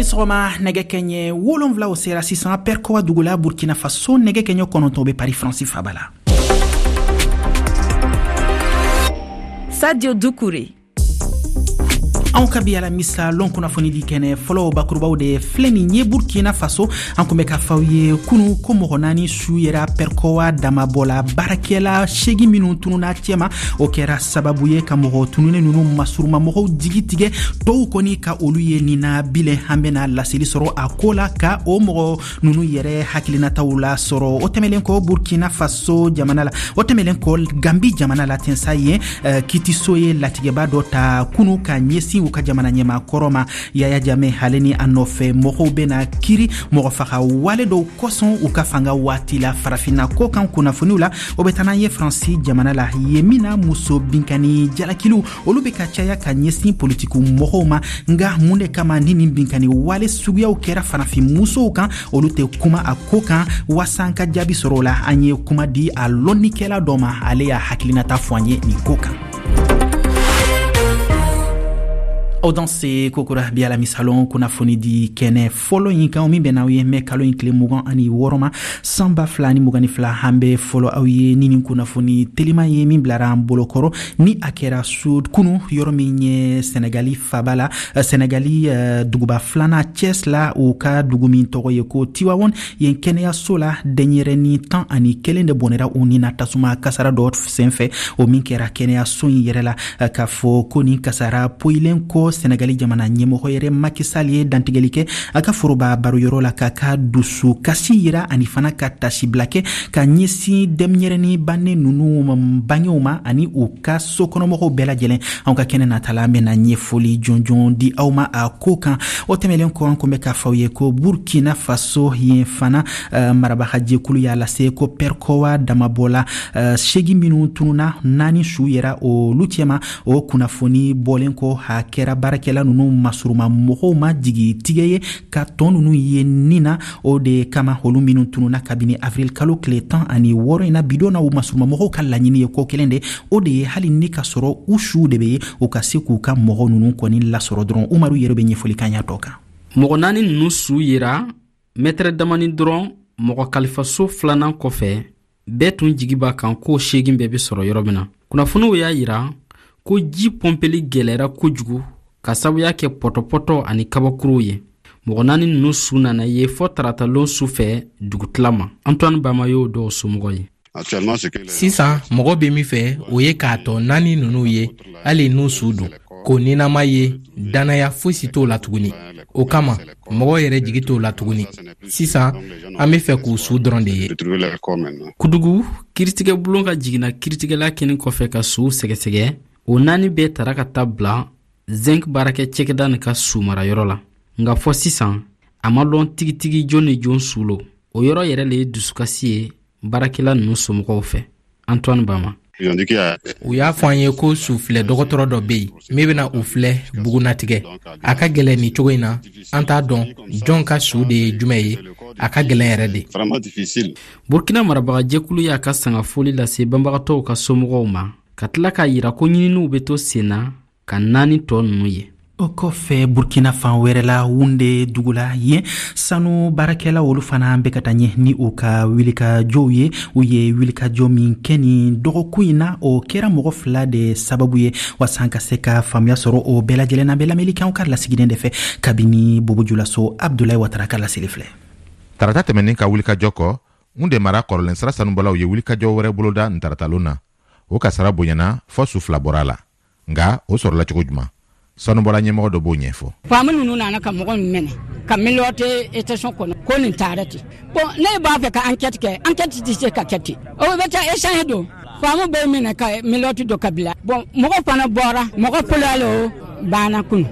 Aw ni sɔgɔma. Nɛgɛ kɛɲɛ 7 o sera sisan Pɛrikowa dugu la, Burkina Faso. Nɛgɛ kɛɲɛ 9 bɛ Paris, Faransi faba la. Sadio Dukure. Anw ka bi alamisa lon kunnafonidi kɛnɛ fɔlɔ bakurubaw de filɛ nin ye. Burkina Faso, an kun bɛ k'a f'aw ye kunu ko mɔgɔ naani su yera Pɛrikɔwa damabɔla baarakɛla 8 minnu tununa cɛma. O kɛra sababu ye ka mɔgɔ tununen ninnu masurumamɔgɔw jigi tigɛ, tɔw kɔni ka olu ye nina bilen. An bɛna laseli sɔrɔ a ko la, ka o mɔgɔ ninnu yɛrɛ hakilinataw la sɔrɔ. O tɛmɛlen kɔ Burkina Faso jamana la, o tɛmɛlen kɔ Gambi jamana la tensa, yen kitiso ye latigɛba dɔ ta kunu ka ɲɛsin u ka jamana ɲɛma kɔrɔ ma, Yaya Jame. Ale ni a nɔfɛ mɔgɔw bɛna kiri mɔgɔfaga wale dɔw kosɔn u ka fanga waati la. Farafinna ko kan kunnafoniw la, o bɛ taa n'an ye Faransi jamana la, yen min na muso binkani jalakiliw olu bɛ ka caya ka ɲɛsin politikiw mɔgɔw ma. Nga mun de kama ni nin binkani wale suguyaw kɛra farafin musow kan, olu tɛ kuma a ko kan? Waasa an ka jaabi sɔrɔ o la, an ye kuma di a lɔnnikɛla dɔ ma. Ale y'a hakilinata fɔ an ye nin ko kan. Aw danse kokura. Bi alamisalon kunnafoni di kɛnɛ fɔlɔ in kan, min bɛ n'aw ye mɛ kalo in tile 26 ma, san 2022, an bɛ fɔlɔ aw ye ni nin kunnafoni telima ye min bilara an bolokɔrɔ, ni a kɛra su kunu, yɔrɔ min ye Sɛnɛgali faba la, Sɛnɛgali duguba filanan Thiès la, u ka dugu min tɔgɔ ye ko Tiwawon. Yen kɛnɛyaso la, denyɛrɛni 11 de bɔnɛra u ni na tasuma kasara dɔ senfɛ, o min kɛra kɛnɛyaso in yɛrɛ la. K'a fɔ ko nin kasara poyilen kɔ, Sɛnɛgali jamana ɲɛmɔgɔ yɛrɛ Macky Sall ye dantigɛli kɛ a ka foroba baroyɔrɔ la, k'a ka dusu kasi yira ani fana ka tasibila kɛ ka ɲɛsin denɲɛrɛni bannen ninnu bangew ma ani u ka sokɔnɔmɔgɔw bɛɛ lajɛlen. Anw ka kɛnɛ natala, an bɛna ɲɛfɔli jɔnjɔn di aw ma a ko kan. O tɛmɛlen kɔ, an kun bɛ k'a fɔ aw ye ko Burkina Faso yen fana, marabagajɛkulu y'a lase ko Pɛrikɔwa damabɔla 8 minnu tununa, naani su yera olu cɛma. O kunnafoni bɔlen kɔ, a kɛra baarakɛla ninnu masuruma mɔgɔw ma jigi tigɛ ye ka tɔn ninnu ye nin na. O de kama, olu minnu tununa kabini avril kalo tile 16 in na, bidon na, u masuruma mɔgɔw ka laɲini ye ko kelen de, o de ye hali ni ka sɔrɔ u suw de bɛ ye, u ka se k'u ka mɔgɔ ninnu kɔni lasɔrɔ dɔrɔn. Umaru yɛrɛ bɛ ɲɛfɔli kan y'a tɔ kan. Mɔgɔ naani ninnu su yera mɛtɛrɛ damani dɔrɔn mɔgɔ kalifaso filanan kɔfɛ. Bɛɛ tun jigi b'a kan ko 8 bɛɛ bɛ sɔrɔ yɔrɔ min na. Kunnafoniw y'a yira ko ji pɔnpeli gɛlɛyara kojugu ka sabuya kɛ pɔtɔpɔtɔ ani kabakuruw ye. Mɔgɔ naani ninnu su nana ye fɔ taratalon su fɛ dugutila ma. Antoine Bama y'o dɔw somɔgɔ ye. Sisan mɔgɔ bɛ min fɛ, o ye k'a tɔ naani ninnu ye, hali n'u su don. Ko ninama ye, dannaya fosi t'o la tuguni. O kama mɔgɔ yɛrɛ jigi t'o la tuguni. Sisan an be fɛ k'u su dɔrɔn de ye. Kudugu kiritigɛbulon ka jiginna kiritigɛla kɛnin kɔfɛ ka suw sɛgɛsɛgɛ, o naani bɛɛ tara ka taa bila zinc baarakɛ cɛkɛda nin ka su marayɔrɔ la. Nka fɔ sisan a ma lɔn tigitigi jon ni jon su lo. O yɔrɔ yɛrɛ le ye dusukasi ye baarakɛla ninnu somɔgɔw fɛ. Antoine Bama. U y'a fɔ an ye ko sufilɛ dɔgɔtɔrɔ dɔ bɛ yen min bɛna u filɛ bugunatigɛ. A ka gɛlɛn nin cogo in na, an t'a dɔn jɔn ka su de ye jumɛn ye. A ka gɛlɛn yɛrɛ de. Burkina marabagajɛkulu y'a ka sangafoli lase banbagatɔw ka somɔgɔw ma, ka tila k'a yira ko ɲininiw bɛ to sen na ka naani tɔ ninnu ye. O kɔfɛ, Burkina fan wɛrɛ la, Wunde dugu la, yen sanu baarakɛla olu fana bɛ ka taa ɲɛ ni u ka wulikajɔw ye. U ye wulikajɔ min kɛ nin dɔgɔkun in na, o kɛra mɔgɔ fila de sababu ye. Waasa an ka se ka faamuya sɔrɔ o bɛɛ lajɛlen na, bɛ lamɛnni kɛ anw ka lasigiden de fɛ kabini Bobo Julaso. Abdulayi Watara ka laseli filɛ. Tarata tɛmɛnin ka wulikajɔ kɔ, Wunde mara kɔrɔlen sira sanubɔlaw ye wulikajɔ wɛrɛ boloda nin taratalon na. O kasara bonyana fɔ su fila bɔra a la. Nka o sɔrɔla cogo juman? Sanubɔla ɲɛmɔgɔ dɔ b'o ɲɛfɔ. Faamu ninnu nana ka mɔgɔ min minɛ ka menotter station kɔnɔ ko nin taara ten. Bon, ne b'a fɛ ka enquête kɛ, enquête tɛ se ka kɛ ten. O bɛ taa échange don. Faamu bɛ minɛ ka menotte don ka bila. Bon, mɔgɔ fana bɔra, mɔgɔ fɔlɔ o banna kunu.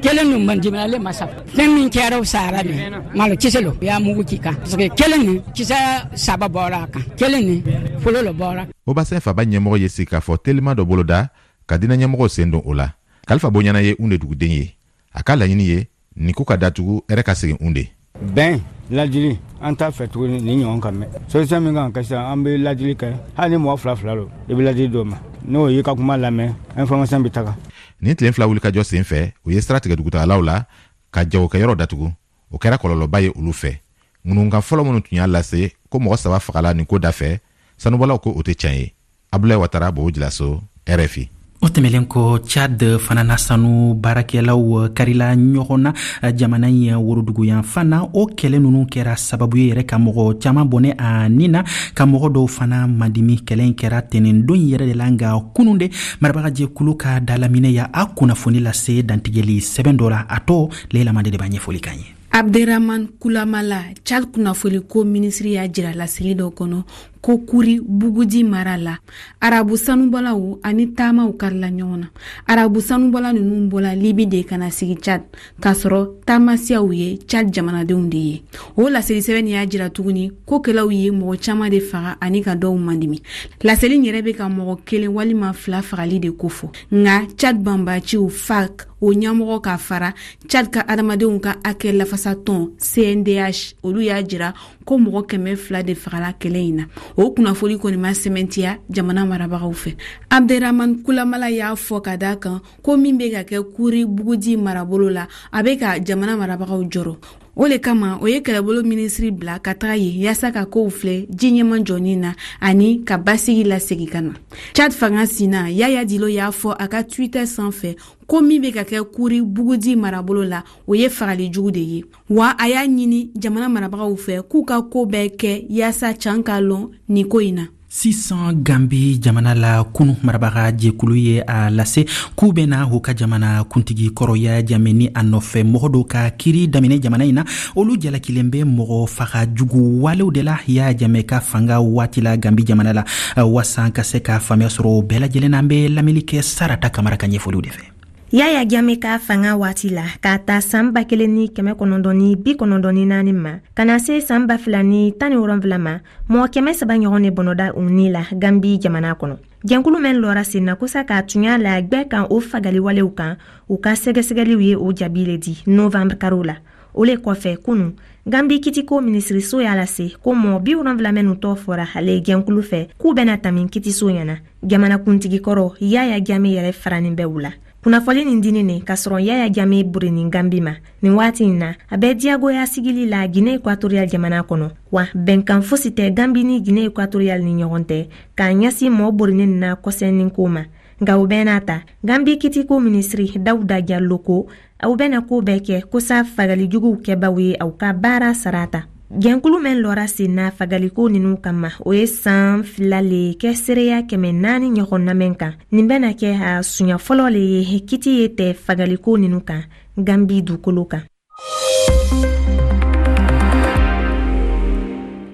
Kelen ninnu man dimi ale ma sa. Fɛn min kɛra o sara nin malo kisɛ lo, u y'a mugu ci kan. Parce que kelen nin kisɛ saba bɔra a kan, kelen nin fɔlɔ lo bɔra. Haut-Bassin faba ɲɛmɔgɔ ye sigikafɔ telima dɔ boloda ka diinɛ ɲɛmɔgɔw sen don o la. Kalifa Bonyana ye Unde duguden ye. A ka laɲini ye nin ko ka datugu, hɛrɛ ka segin Unde. Bɛn ladili, an t'a fɛ tuguni ni ɲɔgɔn ka mɛn. Solution min kan ka kɛ sisan, an bɛ ladili kɛ. Hali ni mɔgɔ fila fila don, i bɛ ladili d'o ma, n'o y'i ka kuma lamɛn, information bɛ taga. Nin tile 2 wulikajɔ sen fɛ, u ye sira tigɛ dugutagalaw la. Ka jagokɛyɔrɔ datugu, o kɛra kɔlɔlɔba ye olu fɛ. Ŋunukan fɔlɔ minnu tun y'a lase ko mɔgɔ 3 fagala nin ko da fɛ, sanubɔlaw ko o tɛ tiɲɛ ye. Abulayi Watara, Bobo Julaso, RFI. O tɛmɛlen kɔ, Tchad fana na, sanu baarakɛlaw karila ɲɔgɔn na jamana in woroduguyanfan na. O kɛlɛ ninnu kɛra sababu ye yɛrɛ ka mɔgɔ caman bɔnɛ a ni na, ka mɔgɔ dɔw fana madimi. Kɛlɛ in kɛra tɛnɛndon yɛrɛ de la, nka kunun de marabagajɛkulu ka dalaminɛ y'a kunnafoni lase dantigɛli sɛbɛn dɔ la. A tɔ, Leila Mande de b'a ɲɛfɔli k'an ye. Abderrahman Kulamala, Tchad kunnafoliko minisiri, y'a jira laseli dɔ kɔnɔ ko Kuri Bugudi mara la, arabu sanubɔlaw ani taamaw karila ɲɔgɔn na. Arabu sanubɔla ninnu bɔla Libi de ka na sigi Tchad, k'a sɔrɔ taamasiyaw ye Tchad jamanadenw de ye. O laseli sɛbɛn y'a jira tuguni ko kɛlɛw ye mɔgɔ caman de faga ani ka dɔw mandimi. Laseli yɛrɛ bɛ ka mɔgɔ 1 walima 2 fagali de kofɔ, nka Tchad banbaciw FAC o ɲɛmɔgɔ ka fara Tchad ka adamadenw ka hakɛ lafasatɔn CNDH, olu y'a jira ko mɔgɔ 200 de fagala kɛlɛ in na. O kunnafoni kɔni ma sɛmɛntiya jamana marabagaw fɛ. Abderrahman Kulamala y'a fɔ ka da kan ko min bɛ ka kɛ Kuri Bugudi marabolo la, a bɛ ka jamana marabagaw jɔrɔ. O le kama o ye kɛlɛbolo minisiri bila ka taga yen yaasa ka kow filɛ ji ɲɛma jɔni na ani ka basigi lasegi ka na. Tchad fanga sina Yaya Dilo y'a fɔ a ka Twitter sanfɛ ko min bɛ ka kɛ Kuri Bugudi marabolo la, o ye fagali jugu de ye, wa a y'a ɲini jamana marabagaw fɛ k'u ka ko bɛɛ kɛ yaasa can ka lɔn nin ko in na. Sisan, Gambi jamana la, kunu marabaga jɛkulu ye a lase k'u bɛna u ka jamana kuntigi kɔrɔ Yaya Jame ni a nɔfɛ mɔgɔ dɔw ka kiri daminɛ jamana in na. Olu jalakilen bɛ mɔgɔ faga jugu walew de la Yaya Jame ka fanga waati la Gambi jamana la. Waasa ka se ka faamuya sɔrɔ bɛɛ lajɛlen na, an bɛ lamɛnni kɛ Sarata Kamara ka ɲɛfɔliw de fɛ. Yaya Jame ka fanga waati la, k'a ta san 1994 ma ka na se san 2017 ma, mɔgɔ 300 ɲɔgɔn de bɔnɔda u ni la Gambi jamana kɔnɔ. Jɛnkulu mɛn lɔra sen na kosa k'a tunya la gwɛ kan o fagaliwalew kan, u ka sɛgɛsɛgɛliw ye o jaabi le di novembre karo la. O le kɔfɛ, kunu Gambi kitiko minisiriso y'a lase ko mɔgɔ 70 minnu tɔ fɔra ale jɛnkulu fɛ k'u bɛna tami kitiso ɲɛna. Jamanakuntigi kɔrɔ Yaya Jame yɛrɛ faranin bɛ u la. Kunnafoni nin dini ne k'a sɔrɔ Yaya Jame burinin Gambi ma. Nin waati in na, a bɛ diyagoya sigili la Guinée équatoriale jamana kɔnɔ, wa bɛnkan fosi tɛ Gambi ni Guinée équatoriale ni ɲɔgɔn tɛ k'a ɲɛsin mɔɔ burinin na kɔsɛnin ko ma. Nka o bɛɛ n'a ta, Gambi kitiko minisiri Dawuda Jallo ko aw bɛna ko bɛɛ kɛ kosa fagalijuguw kɛbaw ye aw ka baara sarata. Jɛnkulu mɛn lɔra sen na fagaliko ninu kama, o ye san 2 le kɛ seereya 400 ɲɔgɔn namɛn kan. Nin bɛna kɛ a sunya fɔlɔ le ye kiti ye tɛ fagaliko ninu kan Gambi dukolo kan.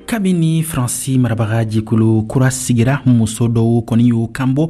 Kabini Faransi marabaga jɛkulu kura sigira, muso dɔw kɔni y'u kanbɔ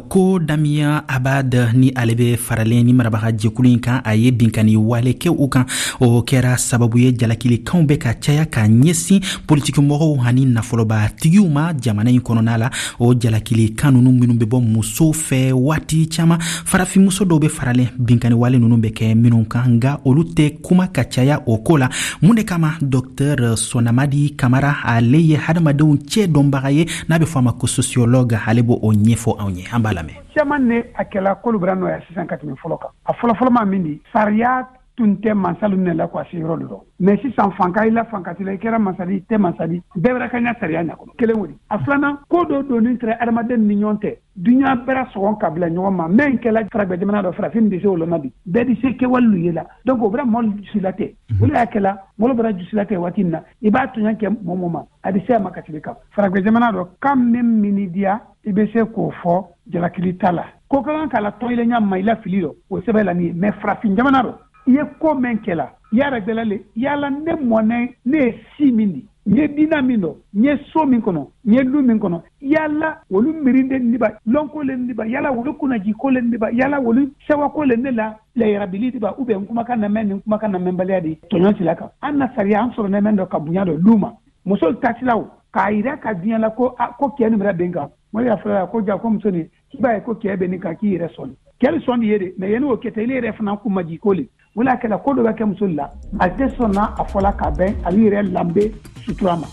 ko Damien Abad ni ale bɛ faralen ni marabaga jɛkulu in kan, a ye binkanni wale kɛ u kan. O kɛra sababu ye jalakilikanw bɛ ka caya ka ɲɛsin politikimɔgɔw ani nafolobatigiw ma jamana in kɔnɔna la. O jalakilikan ninnu minnu bɛ bɔ musow fɛ waati caman, farafinmuso dɔw bɛ faralen binkanni wale ninnu bɛ kɛ minnu kan, nka olu tɛ kuma ka caya o ko la. Mun de kama? Dɔktɛr Sɔnamadi Kamara, ale ye hadamadenw cɛ dɔnbaga ye n'a bɛ fɔ a ma ko sociologue, ale b'o ɲɛfɔ anw ye. An b'a lamɛn. Caman ne a kɛla k'olu bara nɔya sisan ka tɛmɛ fɔlɔ kan. A fɔlɔfɔlɔ ma min di, sariya tun tɛ mansalu minɛ la ko a se yɔrɔ de rɔ. Mais sisan fanka i la fanka t'i la, i kɛra mansadi, i tɛ mansadi, bɛɛ bɛra ka ɲa sariya ɲa kɔnɔ. Kelen o di. A filanan, ko dɔ donni tɛrɛ adamaden ni ɲɔgɔn tɛ. Duɲa bɛra sɔgɔn ka bila ɲɔgɔn ma. Mɛn kɛla faragwɛ jamana dɔ, farafin di se o lɔnna bi. Bɛɛ di se kɛwale ye la. Donc o bɛra mɔlu jusila tɛ. O le y'a kɛla, mɔlu bɛra jusila tɛ waati min na, i b'a tɔɲɔ kɛ mɔgɔ mɔ ma, a di se a ma ka tɛmɛ kan. Faragwɛ jamana dɔ, kan min min diya, i bɛ se k'o fɔ jalakili t'a la. Ko ka kan k'a la tɔn ɲa ma i la fili dɔ, o sɛbɛ la nin ye. Mais farafin jamana dɔ, i ye ko mɛn kɛla, y'a gbɛla le, yala ne mɔnɛ, ne ye si min di, n ye dina min dɔ, n ye so min kɔnɔ, n ye lu min kɔnɔ, yala olu mirinde niba, lɔnko le niba, yala olu kunnaji ko le niba, yala olu sɛwako le ne la layarabili diba, ou bien kumakan na mɛn ni kumakan na mɛnbaliya di tɔɲɔ sila kan. An na sariya an sɔrɔ nɛmɛn dɔ ka bonya dɔ lu ma. Muso tasilaw k'a yira ka diɲɛ la ko, a, ko kɛ nin bɛra bɛn kan. Mɔgɔ y'a fɔra ko ja ko muso nin, k'i b'a ye ko kɛ bɛ nin kan k'i yɛrɛ sɔn. Kɛ bɛ sɔn de ye de, mais yanni o kɛ tɛ, ile yɛrɛ fana kun ma jigin ko le. O la kɛla ko dɔ bɛ kɛ muso la, a tɛ sɔn n'a a fɔla ka bɛn, a b'i yɛrɛ lanbe sutura ma.